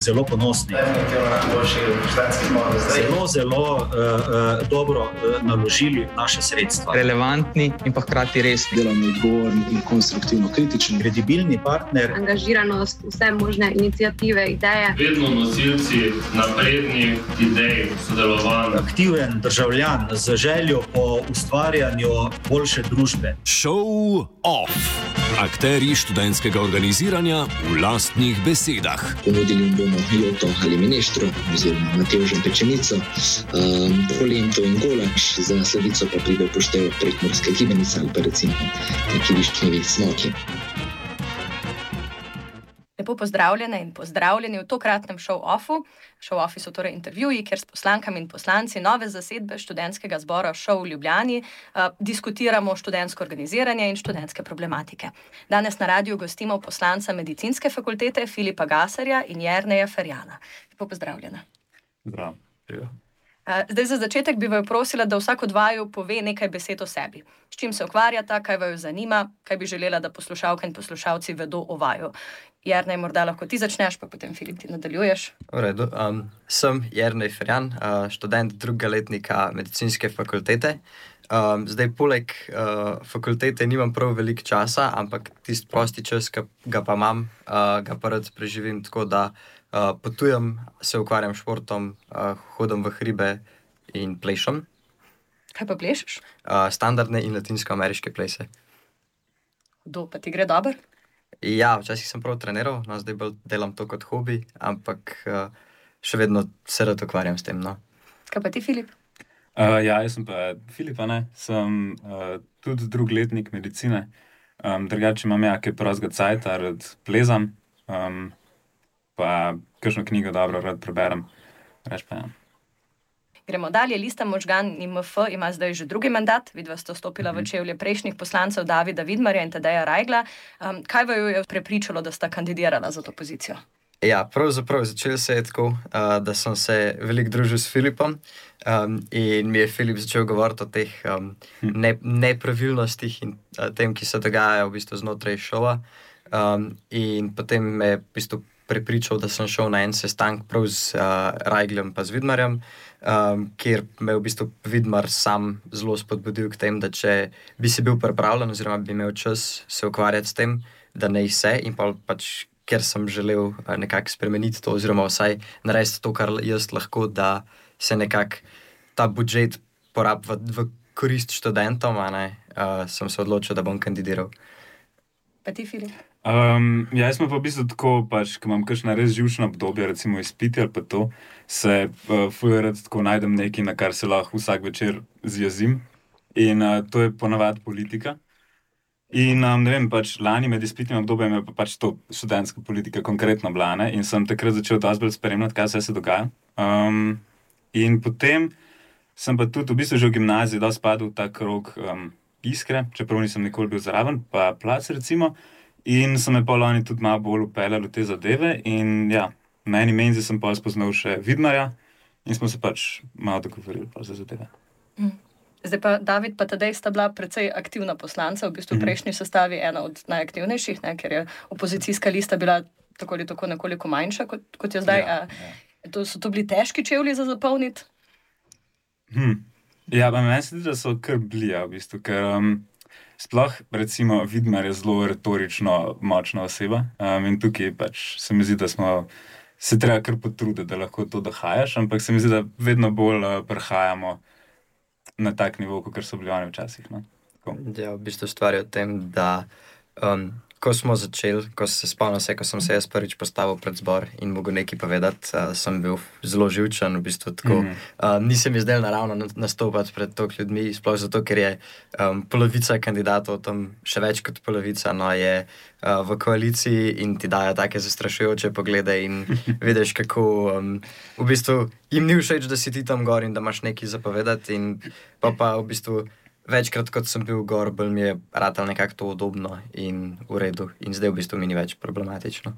zelo ponosni. Zelo dobro naložili naše sredstva. Relevantni in pa hkrati resni. Delamo odgovorni in konstruktivno kritični. Kredibilni partner. Angažiranost, vse možne iniciative, ideje. Vedno nosilci naprednih idej, sodelovanj. Aktiven državljan z željo po ustvarjanju boljše družbe. Show off. Akteri študentskega organiziranja v lastnih besedah. Ponudili jim bomo joto ali mineštro, oziroma matevžen pečenico, polento in golač, za sladico pa pride v poštev prekmurska gibanica ali pa recimo neki višnjevi smoki. Lepo pozdravljene in pozdravljeni v tokratnem show-offu. Show-offi so torej intervjuji, kjer s poslankami in poslanci nove zasedbe študentskega zbora Show v Ljubljani diskutiramo študentsko organiziranje in študentske problematike. Danes na radiju gostimo poslanca medicinske fakultete Filipa Gasarja in Jerneja Ferjana. Lepo pozdravljena. Zdravo. Zdaj za začetek bi vaju prosila, da vsak od vaju pove nekaj besed o sebi. S čim se ukvarjata, kaj vaju zanima, kaj bi želela, da poslušalke in poslušalci vedo o vaju. Jernej, morda lahko ti začneš, pa potem Filip ti nadaljuješ. V redu. Sem Jernej Ferjan, študent drugega letnika medicinske fakultete. Zdaj poleg fakultete nimam prav veliko časa, ampak tisti prosti čas, ki ga pa imam, ga pa rad preživim tako, da potujem, se ukvarjam športom, hodim v hribe in plešem. Kaj pa plešeš? Standardne in latinsko-ameriške plese. Pa ti gre dobro? Ja, včasih sem prav treniral, zdaj bolj delam to kot hobi, ampak še vedno se rad ukvarjam s tem. Kaj pa ti, Filip? Jaz sem pa Filip, sem tudi drugi letnik medicine. Drugače imam kaj prostega cajta, rad plezam, pa kakšno knjigo dobro rad preberem. Gremo dalje. Lista Možgan IMF ima zdaj že drugi mandat. Vidva sta stopila v čevlje prejšnjih poslancev Davida Vidmarja in Tadeja Rajgla. Kaj vaju je prepričalo, da sta kandidirala za to pozicijo? Ja, pravzaprav začelo se je tako, da sem se veliko družil s Filipom in mi je Filip začel govoriti o teh nepravilnostih in tem, ki se dogajajo v bistvu znotraj šova. In potem me je v bistvu prepričal, da sem šel na en sestank prav z Rajglem pa z Vidmarjem, kjer me v bistvu Vidmar sam zelo spodbudil k tem, da če bi si bil pripravljen oziroma bi imel čas se ukvarjati s tem, da ne se in pač ker sem želel nekako spremeniti to oziroma vsaj narediti to, kar jaz lahko, da se nekako ta budžet porabi v korist študentom, sem se odločil, da bom kandidiral. Pa ti, Filip? Jaz sem pa v bistvu tako, ko imam kakšna res živčna obdobja, recimo izpiti ali pa to, se ful rad tako najdem nekaj, na kar se lahko vsak večer zjezim. In to je ponavadi politika. In ne vem, lani med izpitnim obdobjem je pa to študentska politika konkretno bila, in sem takrat začel dosti bolj spremljati, kaj se dogaja. In potem sem pa tudi v bistvu že v gimnaziji dosti padel v ta krog Iskre, čeprav nisem nikoli bil zraven, pa Plac recimo. In so me pol oni tudi malo bolj upeljali v te zadeve in ja, na eni menzi sem pa spoznal še Vidmarja in smo se malo dogovorili za zadeve. Zdaj pa David pa Tadej sta bila precej aktivna poslanca, v bistvu v prejšnji sestavi ena od najaktivnejših, ker je opozicijska lista bila tako ali tako nekoliko manjša, kot je zdaj. So to bili težki čevlji za zapolniti? Ja, pa meni se zdi, da so kar bili, v bistvu, ker sploh, recimo, Vidmar je zelo retorično močna oseba in tukaj se mi zdi, da smo se treba kar potruditi, da lahko to dohajaš, ampak se mi zdi, da vedno bolj prehajamo na tak nivo, kot so bili oni včasih. Ja, v bistvu stvar je v tem, da ko smo začeli, ko sem se jaz prvič postavil pred zbor in mogel nekaj povedati, sem bil zelo živčen, v bistvu tako. Nisem mi zdaj naravno nastopati pred toliko ljudmi, sploh zato, ker je polovica kandidatov, tam še več kot polovica, je v koaliciji in ti dajo take zastrašujoče poglede in vidiš, kako v bistvu jim ni všeč, da si ti tam gor in da imaš nekaj zapovedati in pa v bistvu večkrat, kot sem bil gor, bolj mi je ratal nekako to udobno in v redu. In zdaj v bistvu mi ni več problematično.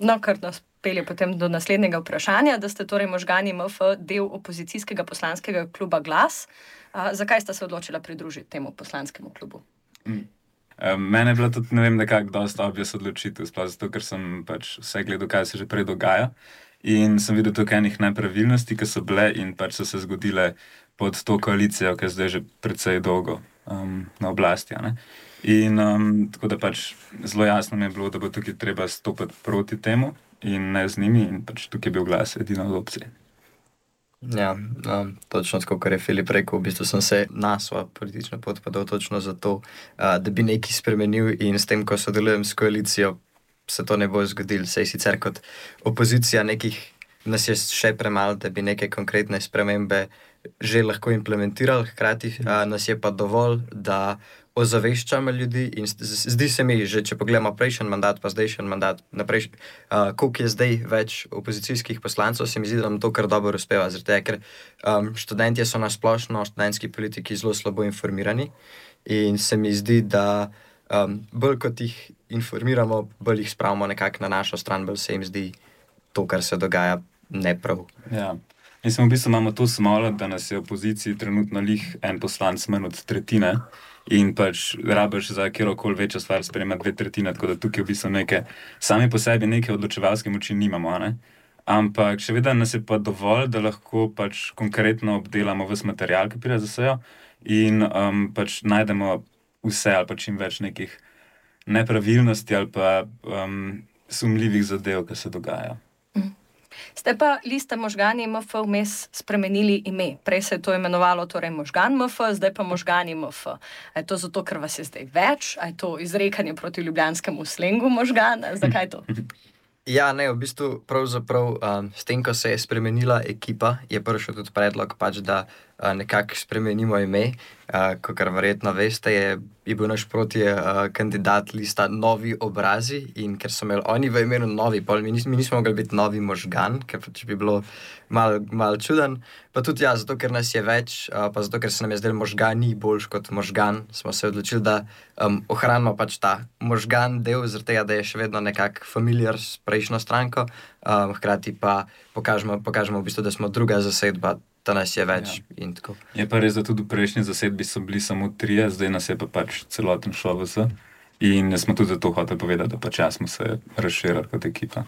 No, kar nas pelje potem do naslednjega vprašanja, da ste torej Možgani IMF del opozicijskega poslanskega kluba Glas. Zakaj sta se odločila pridružiti temu poslanskemu klubu? Mene je bila tudi, ne vem, nekako dosta obvious odločitev, sploh zato, ker sem pač vse gledal, kaj se že prej dogaja. In sem videl tukaj enih nepravilnosti, ki so bile in pač so se zgodile pod to koalicijo, ki je zdaj že precej dolgo na oblasti. In tako da pač zelo jasno mi je bilo, da bo tukaj treba stopiti proti temu in ne z njimi in pač tukaj je bil glas edina od opcije. Ja, točno tako, kar je Filip rekel, v bistvu sem se na svojo politično pot podal točno zato, da bi nekaj spremenil in s tem, ko sodelujem s koalicijo, se to ne bo zgodilo. Sej sicer kot opozicija nas je še premalo, da bi neke konkretne spremembe že lahko implementirali, hkrati nas je pa dovolj, da ozaveščamo ljudi in zdi se mi, že če pogledamo prejšnji mandat, pa zdajšnji mandat, koliko je zdaj več opozicijskih poslancev, se mi zdi, da nam to kar dobro uspeva, zaradi tega, ker študentje so na splošno, študentski politiki zelo slabo informirani in se mi zdi, da bolj kot jih informiramo, bolj jih spravimo nekako na našo stran, bolj se jim zdi to, kar se dogaja, neprav. Ja. Mislim, v bistvu imamo to smolo, da nas je v opoziciji trenutno lih en poslanc manj od tretjine in pač rabiš za kjerokoli večjo stvar sprejemati 2/3, tako da tukaj v bistvu sami po sebi neke odločevalske moči nimamo, ne? Ampak še vedno nas je pa dovolj, da lahko pač konkretno obdelamo ves material, ki pride za sejo in pač najdemo vse ali pa čim več nekih nepravilnosti ali pa sumljivih zadev, ki se dogajajo. Ste pa Lista Možgani MF vmes spremenili ime. Prej se je to imenovalo torej Možgan MF, zdaj pa Možgani MF. A je to zato, ker vas je zdaj več? A je to izrekanje proti ljubljanskemu slengu možgan? Zakaj to? Ja, ne, v bistvu pravzaprav s tem, ko se je spremenila ekipa, je prišel tudi predlog pač, da nekako spremenimo ime. Kakor verjetno veste, je bil naš proti kandidat Lista Novi obrazi in ker so imeli oni v imenu Novi, mi nismo mogli biti Novi Možgan, ker pač bi bilo malo čuden. Pa tudi ja, zato ker nas je več, pa zato ker se nam je zdelo možgani boljš kot možgan, smo se odločili, da ohranimo pač ta možgan del, zaradi tega, da je še vedno nekako familiar s prejšnjo stranko, hkrati pa pokažemo v bistvu, da smo druga zasedba, da nas je več in tako. Je pa res, da tudi v prejšnji zasedbi so bili samo 3, zdaj nas je pa pač celoten ŠOVS in smo tudi zato hoteli povedati, da pač smo se razširili kot ekipa.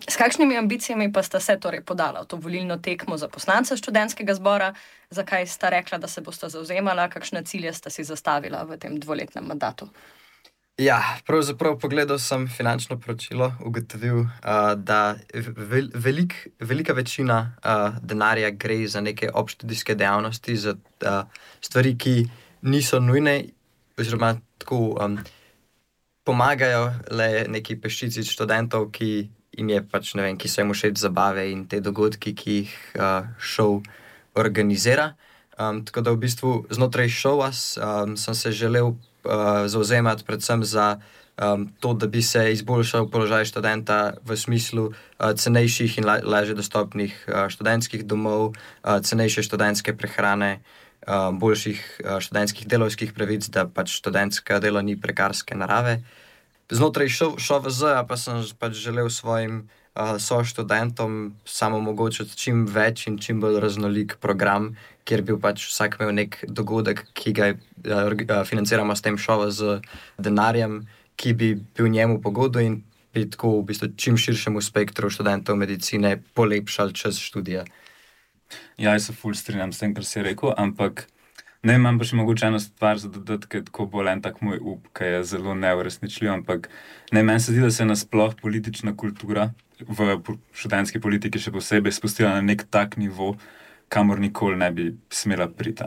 S kakšnimi ambicijami pa sta se torej podala v to volilno tekmo za poslance študentskega zbora? Zakaj sta rekla, da se bosta zavzemala? Kakšne cilje sta si zastavila v tem 2-letnem mandatu? Ja, pravzaprav pogledal sem finančno poročilo, ugotovil, da velika večina denarja gre za neke obštudijske dejavnosti, za stvari, ki niso nujne, oziroma tako pomagajo le neki peščici študentov, ki jim je pač, ne vem, ki so jim všeč zabave in te dogodki, ki jih šov organizira. Tako da v bistvu znotraj šova sem se želel zauzemati predvsem za to, da bi se izboljšal položaj študenta v smislu cenejših in lažje dostopnih študentskih domov, cenejše študentske prehrane, boljših študentskih delovskih pravic, da pač študentsko delo ni prekarske narave. Znotraj ŠOVZ pa sem pač želel svojim soštudentom samo omogočiti čim več in čim bolj raznolik program, kjer bi pač vsak imel nek dogodek, ki ga financiramo s tem ŠOVZ denarjem, ki bi bil njemu po godu in bi tako v bistvu čim širšemu spektru študentov medicine polepšali čas študija. Ja, jaz se ful strinjam s tem, kar si rekel, ampak ne, imam pa še mogoče eno stvar za dodati, ker je tako bolj en tak moj up, ki je zelo neuresničljiv, ampak ne, meni se zdi, da se je nasploh politična kultura v študentski politiki še posebej spustila na nek tak nivo, kamor nikoli ne bi smela priti.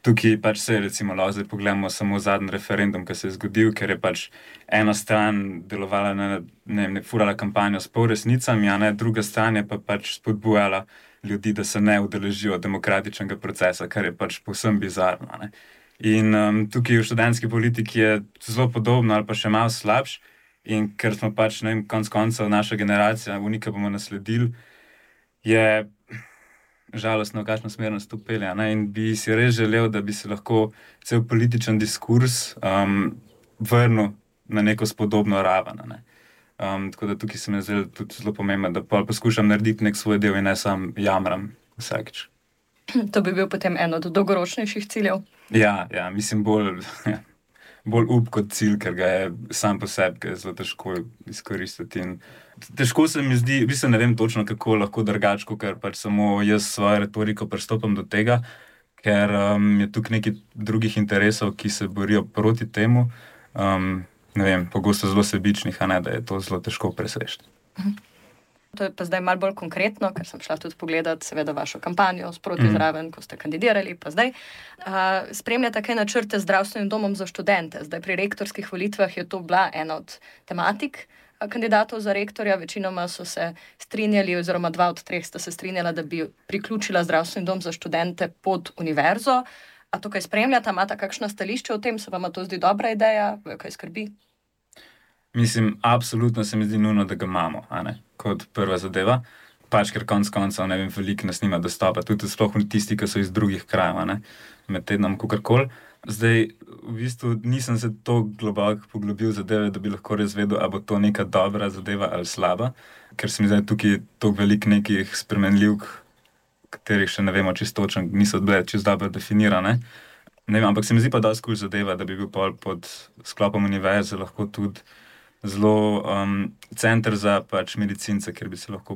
Tukaj pač se recimo zdaj pogledamo samo zadnji referendum, ki se je zgodil, ker je pač ena stran delovala furala kampanjo s polresnicami, a ne, druga stran je pa pač spodbujala ljudi, da se ne udeležijo demokratičnega procesa, kar je pač povsem bizarno. Ne? In tukaj v študentski politiki je zelo podobno ali pa še malo slabš in ker smo pač, ne vem, konec koncev naša generacija, unika bomo nasledili, je žalostno, v kakšno smer nas to pelje. In bi si res želel, da bi se lahko cel političen diskurs vrnil na neko spodobno raven. Tako da tukaj se mi zdaj tudi zelo pomembno, da poskušam narediti nek svoj del in ne sam jamram vsakič. To bi bil potem eno od dolgoročnejših ciljev? Ja, mislim bolj bolj up kot cilj, ker ga je sam po sebi zelo težko izkoristiti. In težko se mi zdi, v bistvu ne vem točno, kako lahko drugače, ker pač samo jaz svojo retoriko pristopam do tega, ker je tukaj nekaj drugih interesov, ki se borijo proti temu. Ne vem, pogosto zelo sebičnih, a ne, da je to zelo težko preseči. To je pa zdaj malo bolj konkretno, ker sem šla tudi pogledati seveda vašo kampanjo sproti zraven, ko ste kandidirali, pa zdaj. Spremljate kaj načrte z zdravstvenim domom za študente. Zdaj pri rektorskih volitvah je to bila ena od tematik kandidatov za rektorja. Večinoma so se strinjali, oziroma 2 od 3 sta se strinjala, da bi priključila zdravstveni dom za študente pod univerzo. A to kaj spremljate, imate kakšna stališča o tem, se vam to zdi dobra ideja, kaj skrbi? Mislim, absolutno se mi zdi nujno, da ga imamo, a ne, kot prva zadeva. Pač, ker konc koncev, ne vem, veliko nas nima dostopa, tudi sploh tisti, ki so iz drugih krajev, a ne, med tednom, kakorkoli. Zdaj, v bistvu nisem se to globoko poglobil zadeve, da bi lahko res vedel, ali bo to neka dobra zadeva ali slaba, ker se mi zdaj tukaj toliko veliko nekih spremenljivk, katerih še ne vemo čisto točno, niso bile čisto dobro definirane. Ne vem, ampak se mi zdi pa dosti kul zadeva, da bi bil pod sklopom univerze lahko tudi zelo center za pač medicince, kjer bi se lahko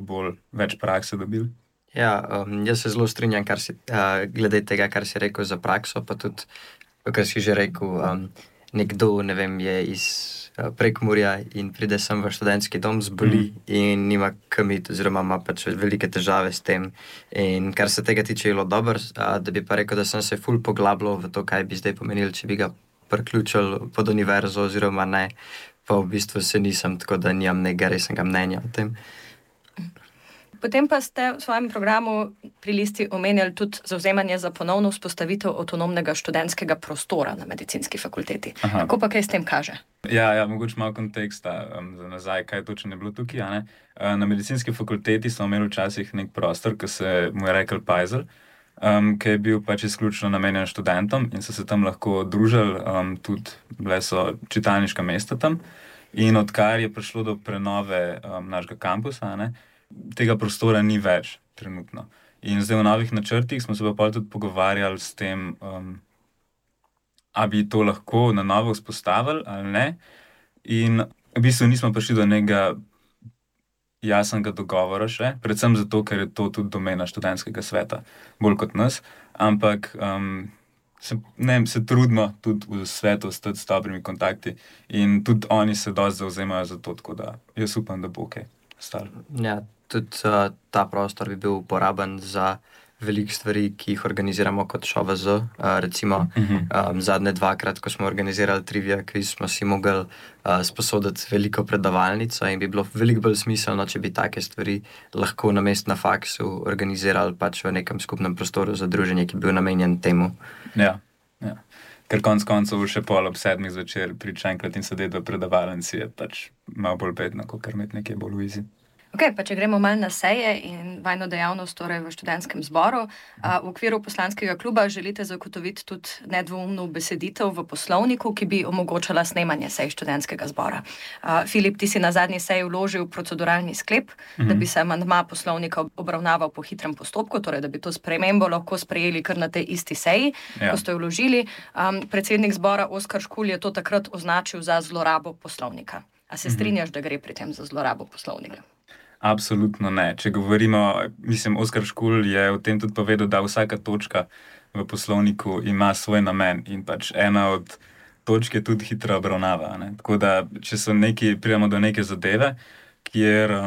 več prakse dobili. Ja, jaz se zelo strinjam, glede tega, kar si rekel za prakso, pa tudi, kar si že rekel, nekdo, ne vem, je iz Prekmurja in pride sem v študentski dom, zboli in nima kam iti, oziroma ima pač velike težave s tem. In kar se tega tiče, je bilo dobro, da bi pa rekel, da sem se ful poglabljal v to, kaj bi zdaj pomenil, če bi ga priključil pod univerzo oziroma ne. Pa v bistvu se nisem, tako da nimam nekega resnega mnenja o tem. Potem pa ste v svojem programu pri listi omenjali tudi zavzemanje za ponovno vzpostavitev avtonomnega študentskega prostora na medicinski fakulteti. Aha. Kako pa kaj s tem kaže? Ja, mogoče malo konteksta za nazaj, kaj točno je bilo tukaj, a ne. Na medicinski fakulteti smo imeli včasih nek prostor, ki se mu je rekel Pajzel, ki je bil pač izključno namenjen študentom in so se tam lahko družili, tudi bile so čitalniška mesta tam. In odkar je prišlo do prenove našega kampusa, ne, tega prostora ni več trenutno. In zdaj v novih načrtih smo se pa tudi pogovarjali s tem, a bi to lahko na novo vzpostavili ali ne. In v bistvu nismo prišli do nekega jasnega dogovora še, predvsem zato, ker je to tudi domena študentskega sveta, bolj kot nas, ampak se trudimo tudi v svetu stati s dobrimi kontakti in tudi oni se dosti zavzemajo za to, tako da jaz upam, da bo kaj ostalo. Ja, tudi ta prostor bi bil uporaben za veliko stvari, ki jih organiziramo kot ŠOVZ. Recimo zadnje 2-krat, ko smo organizirali trivia kviz, smo si mogli sposoditi veliko predavalnico in bi bilo veliko bolj smiselno, če bi take stvari lahko namesto na faksu organizirali pač v nekem skupnem prostoru za druženje, ki bi bil namenjen temu. Ja. Ker konc koncev še pol ob 7 zvečer priti enkrat in sedeti v predavalnici je pač malo bolj bedno, kot kar imeti nekaj bolj v izi. Ok, pa če gremo malo na seje in vajno dejavnost torej v študentskem zboru. V okviru poslanskega kluba želite zagotoviti tudi nedvoumno beseditev v poslovniku, ki bi omogočala snemanje sej študentskega zbora. Filip, ti si na zadnji seji vložil proceduralni sklep, da bi se amandma poslovnika obravnaval po hitrem postopku, torej da bi to spremembo lahko sprejeli kar na tej isti seji, ko ste jo vložili. Predsednik zbora Oskar Škulj je to takrat označil za zlorabo poslovnika. A se strinjaš, da gre pri tem za zlorabo poslovnika? Absolutno ne. Če govorimo, Oskar Škulj je o tem tudi povedal, da vsaka točka v poslovniku ima svoj namen in pač ena od točk je tudi hitra obravnava, ne. Tako da, če pridemo do neke zadeve, kjer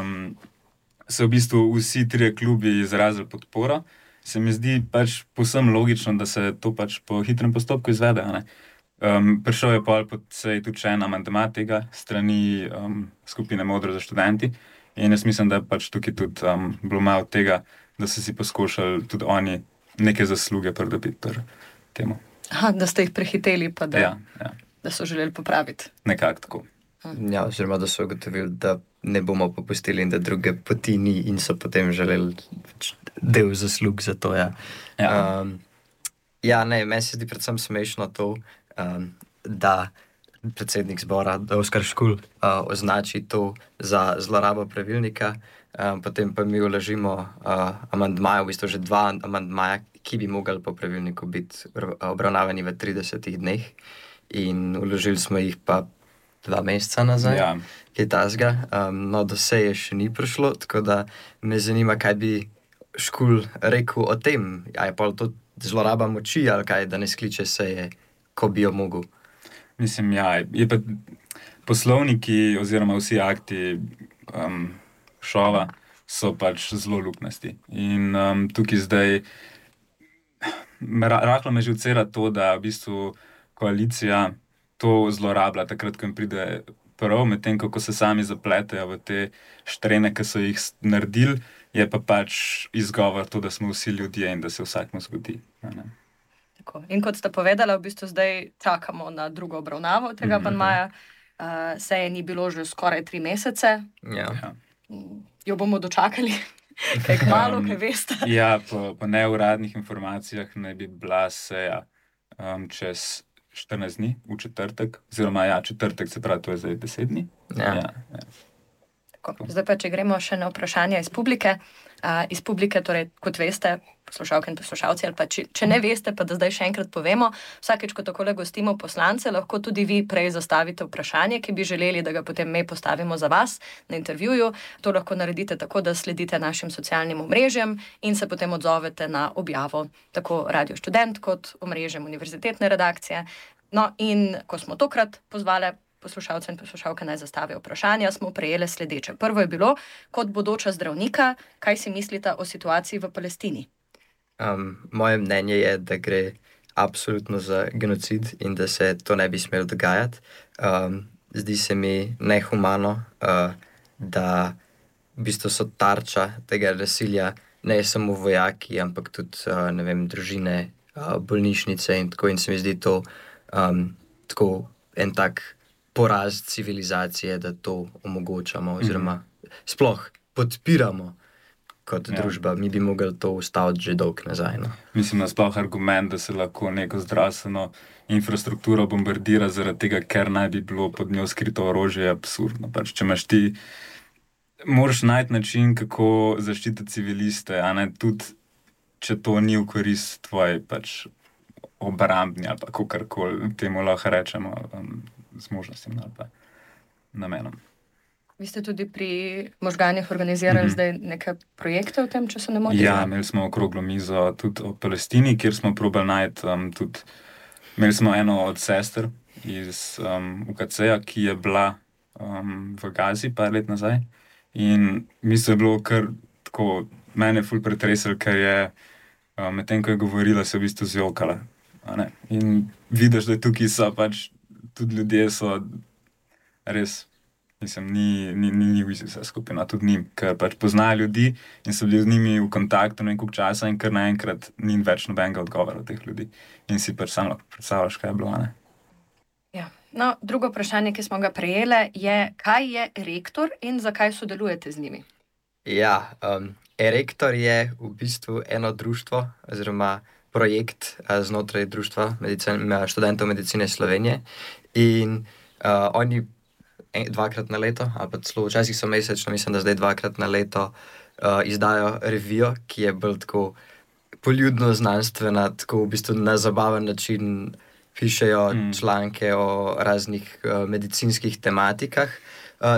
se v bistvu vsi 3 klubi izrazili podporo, se mi zdi pač povsem logično, da se to pač po hitrem postopku izvede, ne. Prišel je pol po seji tudi še en amandma tega strani skupine Modro za študenti. In jaz mislim, da pač tukaj tudi bilo malo tega, da so si poskušali tudi oni neke zasluge pridobiti pri temu. Aha, da ste jih prehiteli, pa da so želeli popraviti. Nekako tako. Ja, oziroma, da so ugotovili, da ne bomo popustili in da druge poti ni in so potem želeli del zaslug za to, ja. Meni se zdi predvsem smešno to, da predsednik zbora, Oskar Škulj, označi to za zlorabo pravilnika, potem pa mi vložimo amandmaje, v bistvu že 2 amandmaja, ki bi mogli po pravilniku biti obravnavani v 30 dneh. in vložili smo jih pa 2 meseca nazaj, Ja. kaj tasga. No, do seje še ni prišlo, tako da me zanima, kaj bi škul rekel o tem. A je pa to zloraba moči ali kaj, da ne skliče seje, ko bi jo mogel. Mislim, ja, je pa poslovniki oziroma vsi akti šova so pač zelo luknasti. In tukaj zdaj rahlo me že vcera to, da v bistvu koalicija to zlorablja takrat, ko jim pride prav, medtem ko se sami zapletejo v te štrene, ki so jih naredili, je pa pač izgovor to, da smo vsi ljudje in da se vsakmu zgodi. Tako. In kot ste povedali, v bistvu zdaj čakamo na drugo obravnavo tega amandmaja. Seje ni bilo že skoraj 3 mesece. Ja. Jo bomo dočakali, kaj kmalu, kaj veste. Ja, po neuradnih informacijah naj bi bila seja čez 14 dni, v četrtek, oziroma četrtek, se pravi, to je zdaj 10 dni. Ja. Tako. Zdaj pa, če gremo še na vprašanja iz publike. Iz publike, torej, kot veste, poslušalke in poslušalci, ali pa če ne veste, pa da zdaj še enkrat povemo, vsakeč, ko takole gostimo poslance, lahko tudi vi prej zastavite vprašanje, ki bi želeli, da ga potem mi postavimo za vas na intervjuju. To lahko naredite tako, da sledite našim socialnim omrežjem in se potem odzovete na objavo tako Radio Študent kot omrežjem univerzitetne redakcije. No, in ko smo tokrat pozvali poslušalce in poslušalke naj zastavijo vprašanja, smo prejeli sledeče. Prvo je bilo, kot bodoča zdravnika, kaj si mislite o situaciji v Palestini? Moje mnenje je, da gre absolutno za genocid in da se to ne bi smelo dogajati. Zdi se mi nehumano, da v bistvu so tarča tega nasilja ne samo vojaki, ampak tudi, ne vem, družine, bolnišnice in tako. In se mi zdi to tako en tak poraz civilizacije, da to omogočamo oziroma sploh podpiramo kot družba. Mi bi mogli to ustaviti že dolgo nazaj. No. Mislim, da sploh argument, da se lahko neko zdravstveno infrastrukturo bombardira zaradi tega, ker naj bi bilo pod njo skrito orožje, je absurdno. Pač, če imaš ti, moraš najti način, kako zaščititi civiliste, a ne tudi, če to ni v korist tvoje pač obrambni ali pa kakorkoli temu lahko rečemo, z možnostim ali pa namenom. Vi ste tudi pri možganih organizirali zdaj neke projekte v tem, če se ne motim? Ja, imeli smo okroglo mizo tudi o Palestini, kjer smo probali najti tudi, imeli smo eno od sester iz UKC-ja, ki je bila v Gazi par let nazaj in mislim, je bilo kar tako, mene ful pretresel, ker je medtem, ko je govorila, se v bistvu zjokala. In vidiš, da tukaj so pač tudi ljudje so res, mislim, ni vse skupina, tudi njim, ker pač poznajo ljudi in so bili z njimi v kontaktu nekaj časa in kar naenkrat ni več nobenega odgovora od teh ljudi. In si pač sam lahko predstavljaš, kaj je bilo, ne? Ja. No, drugo vprašanje, ki smo ga prejeli, je, kaj je Rektor in zakaj sodelujete z njimi? Ja, Rektor je v bistvu eno društvo oziroma projekt znotraj društva študentov medicine Slovenije in oni 2-krat na leto, ali pa celo včasih so mesečno, mislim, da zdaj 2-krat na leto izdajo revijo, ki je bolj tako poljudno znanstvena, tako v bistvu na zabaven način pišejo članke o raznih medicinskih tematikah.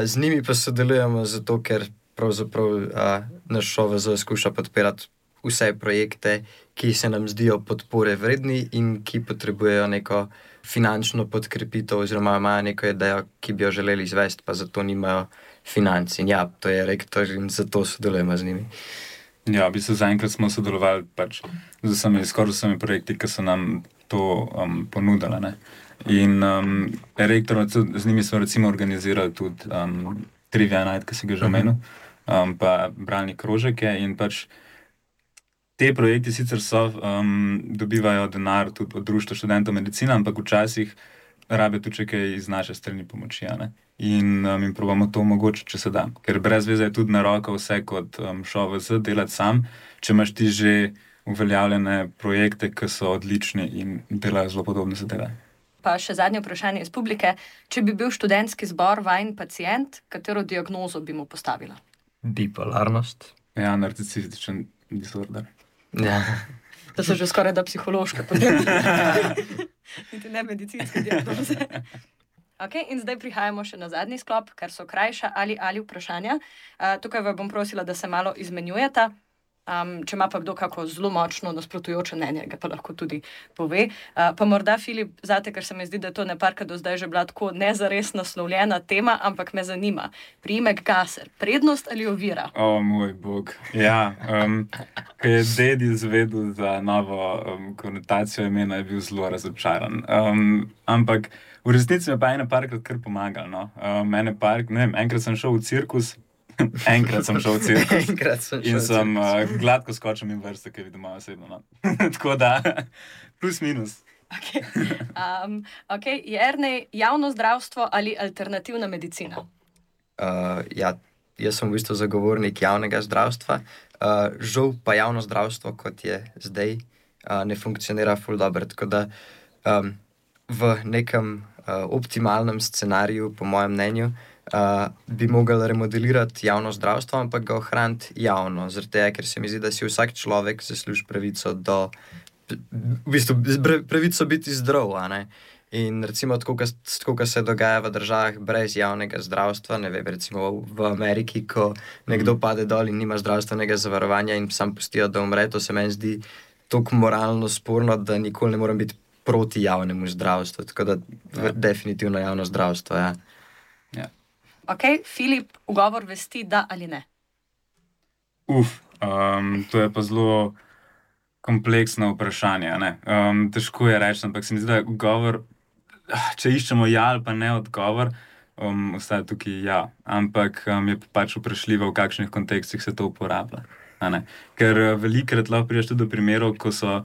Z njimi pa sodelujemo zato, ker pravzaprav naš ŠOVZ skuša podpirati vse projekte, ki se nam zdijo podpore vredni in ki potrebujejo neko finančno podkrepitev oziroma imajo neko idejo, ki bi jo želeli izvesti, pa zato nimajo financ. In ja, to je Rektor in zato sodelujemo z njimi. Ja, v bistvu zaenkrat smo sodelovali pač skoraj vsemi projekti, ki so nam to ponudili, ne. In Rektor, z njimi smo recimo organizirali tudi Trivia Night, ki si ga že omenil, pa bralni krožek je in pač te projekti sicer dobivajo denar tudi od Društva študentov medicine, ampak včasih rabijo tudi kaj iz naše strani pomoči, ne? In jim probamo to omogočiti, če se da. Ker brez veze je tudi na roko vse kot ŠOVZ delati sam, če imaš ti že uveljavljene projekte, ki so odlični in delajo zelo podobne zadeve. Pa še zadnje vprašanje iz publike. Če bi bil študentski zbor vajen pacient, katero diagnozo bi mu postavila? Bipolarnost. Ja, narcisističen disorder. Ja. To so že skoraj da psihološke potem. Niti ne medicinske diagnoze. Okay, in zdaj prihajamo še na zadnji sklop, kar so krajša ali vprašanja. Tukaj vas bom prosila, da se malo izmenjujeta. Če ima pa kdo kako zelo močno nasprotujoče mnenje, ga pa lahko tudi pove. Pa morda, Filip, zate, ker se mi zdi, da je to neparka do zdaj že bila tako nezares naslovljena tema, ampak me zanima. Priimek Gaser, prednost ali ovira? O, moj bog. Ja, ko je ded izvedel za novo konotacijo imena, je bil zelo razočaran. Ampak v resnici me pa ene parkrat kar pomagal. No? Enkrat sem šel v cirkus, in sem gladko skočil in vrste, ki vidim malo osebno. No? Tako da, plus minus. Okay. Jernej, javno zdravstvo ali alternativna medicina? Ja, jaz sem v bistvu zagovornik javnega zdravstva. Žal pa javno zdravstvo, kot je zdaj, ne funkcionira ful dobro. Tako da v nekem optimalnem scenariju, po mojem mnenju, bi mogli remodelirati javno zdravstvo, ampak ga ohraniti javno. Zaradi tega, ker se mi zdi, da si vsak človek zasluži pravico pravico biti zdrav, a ne? In recimo, tako kot se dogaja v državah brez javnega zdravstva, ne vem, recimo v Ameriki, ko nekdo pade dol in nima zdravstvenega zavarovanja in sam pustijo, da umre, to se meni zdi toliko moralno sporno, da nikoli ne morem biti proti javnemu zdravstvu. Tako da definitivno javno zdravstvo, ja. Ok, Filip, ugovor vesti, da ali ne? To je pa zelo kompleksno vprašanje. Ne? Težko je reči, ampak se mi zdi, da ugovor, če iščemo ja ali pa ne odgovor, ostaja tukaj ja. Ampak je pač vprašljivo, v kakšnih kontekstih se to uporablja. Ker velikokrat lahko prideš tudi do primerov, ko so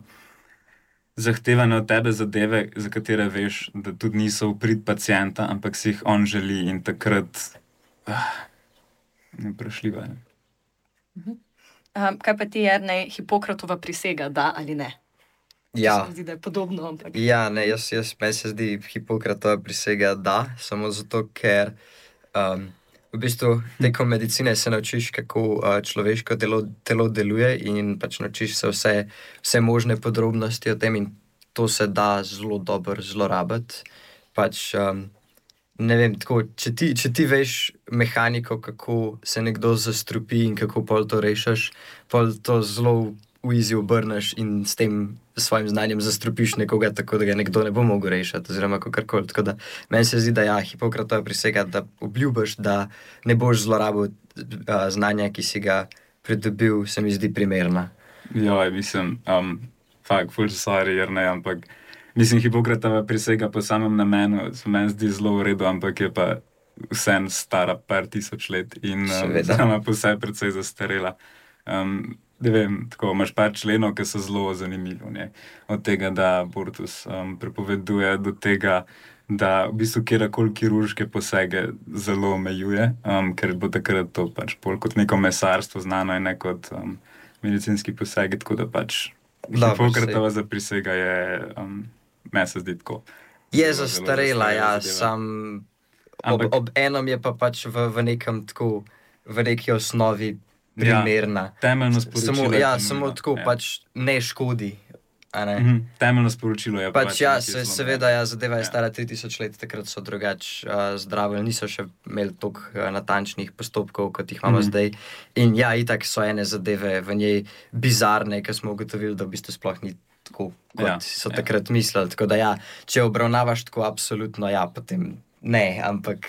zahtevane od tebe zadeve, za katere veš, da tudi niso v prid pacienta, ampak si jih on želi in takrat vprašljivo je. Kaj pa ti, Jernej, Hipokratova prisega, da ali ne? Ja. Se mi zdi, da je podobno, ampak... Ja, ne, meni se zdi Hipokratova prisega da, samo zato, ker v bistvu tekom medicine se naučiš, kako človeško telo deluje in pač naučiš se vse možne podrobnosti o tem in to se da zelo dobro zlorabiti. Pač, ne vem, tako, če ti veš mehaniko, kako se nekdo zastrupi in kako pol to rešiš, pol to zelo v easy obrneš in s tem svojim znanjem zastrupiš nekoga, tako da ga nekdo ne bo mogel rešiti, oziroma kakorkoli. Tako da meni se zdi, da ja, Hipokratova prisega, da obljubiš, da ne boš zlorabil znanja, ki si ga pridobil, se mi zdi primerna. Ja, mislim, full sorry, Jernej, ampak mislim, Hipokratova prisega po samem namenu se meni zdi zelo v redu, ampak je pa vsem stara par tisoč let in sama po sebi precej zastarela. Ne vem, tako, imaš par členov, ki so zelo zanimivi. Od tega, da abortus prepoveduje, do tega, da v bistvu kjerkoli kirurške posege zelo omejuje, ker bo takrat to pač bolj kot neko mesarstvo znano in ne kot medicinski posegi, tako da pač Hipokratova za prisega je, meni se zdi tako. Je zastarela, ja, sam ob enom je pa pač v nekem tako, v neki osnovi primerna. Temeljno sporočilo je samo tako, pač ne škodi. Temeljno sporočilo je pač ja, seveda, zadeva je stara 3000 let, takrat so drugače zdravili, niso še imeli toliko natančnih postopkov, kot jih imamo zdaj. In ja, itak so ene zadeve v njej bizarne, ker smo ugotovili, da v bistvu sploh ni tako, kot so takrat mislili. Tako da ja, če obravnavaš tako absolutno, ja, potem ne, ampak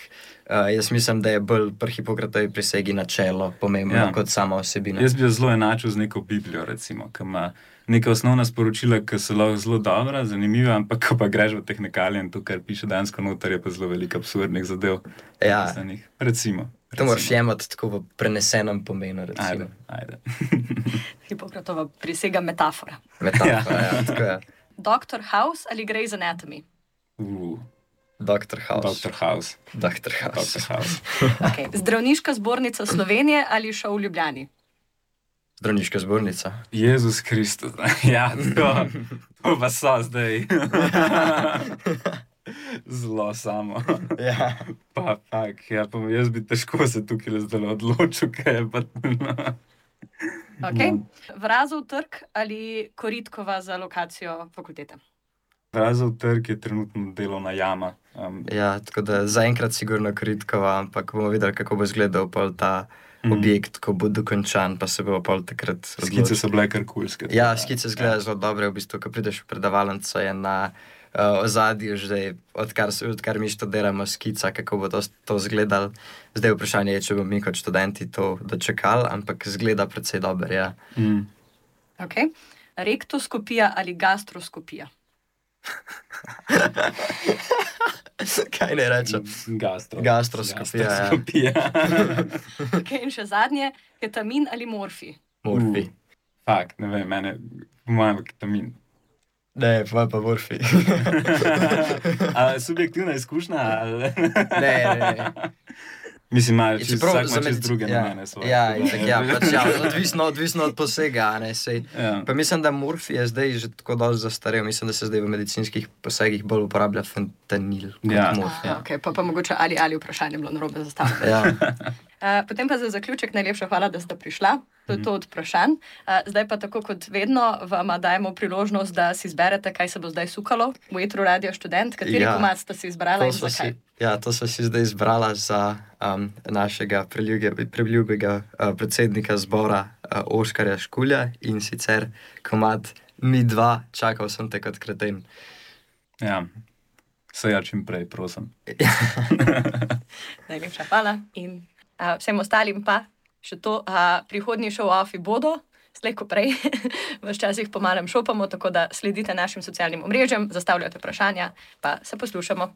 jaz mislim, da je bolj pri Hipokratovi prisegi načelo pomembno kot sama osebina. Jaz bi jo zelo enačil z neko Biblijo, recimo, ki ima neka osnovna sporočila, ki so lahko zelo dobra, zanimiva, ampak ko pa greš v tehnikalije in to, kar piše dansko noter, je pa zelo veliko absurdnih zadev. Ja. Recimo. To moraš jemati tako v prenesenem pomenu, recimo. Ajde. Hipokratova prisega metafora. Metafora, ja, tako je. Dr. House ali Grey's Anatomy? Dr. House. Okay. Zdravniška zbornica Slovenije ali šov v Ljubljani? Zdravniška zbornica. Jezus Kristus. Ja, to pa so zdaj. Zelo samo. Ja. Pa jaz bi težko se tukaj zdaj odločil, kaj je pa... Okay. Vrazov trg ali Koritkova za lokacijo fakultete? Vrazov trg je trenutno delovna jama. Ja, tako da zaenkrat sigurno Koritkova, ampak bomo videli, kako bo izgledal pol ta objekt, ko bo dokončan, pa se bo pol takrat odločil. Skice so bile kar kulske. Ja, skice izgledajo zelo dobre, v bistvu, ko prideš v predavalnico, je na ozadju že, odkar mi študiramo skica, kako bo to izgledalo. Zdaj vprašanje je, če bomo mi kot študenti to dočekali, ampak izgleda precej dobro, ja. Okay. Rektoskopija ali gastroskopija? Kaj ne rečem? Gastroskopija. Okay, in še zadnje, ketamin ali morfi? Morfi. Fakt, ne vem, mene, po mojem, ketamin. Ne, pa morfi. Subjektivna izkušnja? Ne. Mislim, vsak ima čez druge namene svoje. Odvisno od posega, ne, sej. Pa mislim, da morfi je zdaj že tako dosti zastarel, mislim, da se zdaj v medicinskih posegih bolj uporablja fentanil kot morfi. Okay, pa mogoče ali vprašanje bilo narobe zastavljeno. Potem pa za zaključek najlepša hvala, da ste prišla. To je to od vprašanj. Zdaj pa tako kot vedno vam dajemo priložnost, da si izberete, kaj se bo zdaj sukalo v etru Radio Študent. Kateri komad ste si izbrala in zakaj? To so si zdaj izbrala za našega preljubega predsednika zbora Oškarja Škulja in sicer komad Mi dva, čakal sem te kot kreten. Ja, se ja čim prej, prosim. Najlepša hvala in vsem ostalim pa še to, prihodnji show-offi bodo, slej ko prej, včasih po malem šopamo, tako da sledite našim socialnim omrežjem, zastavljate vprašanja, pa se poslušamo.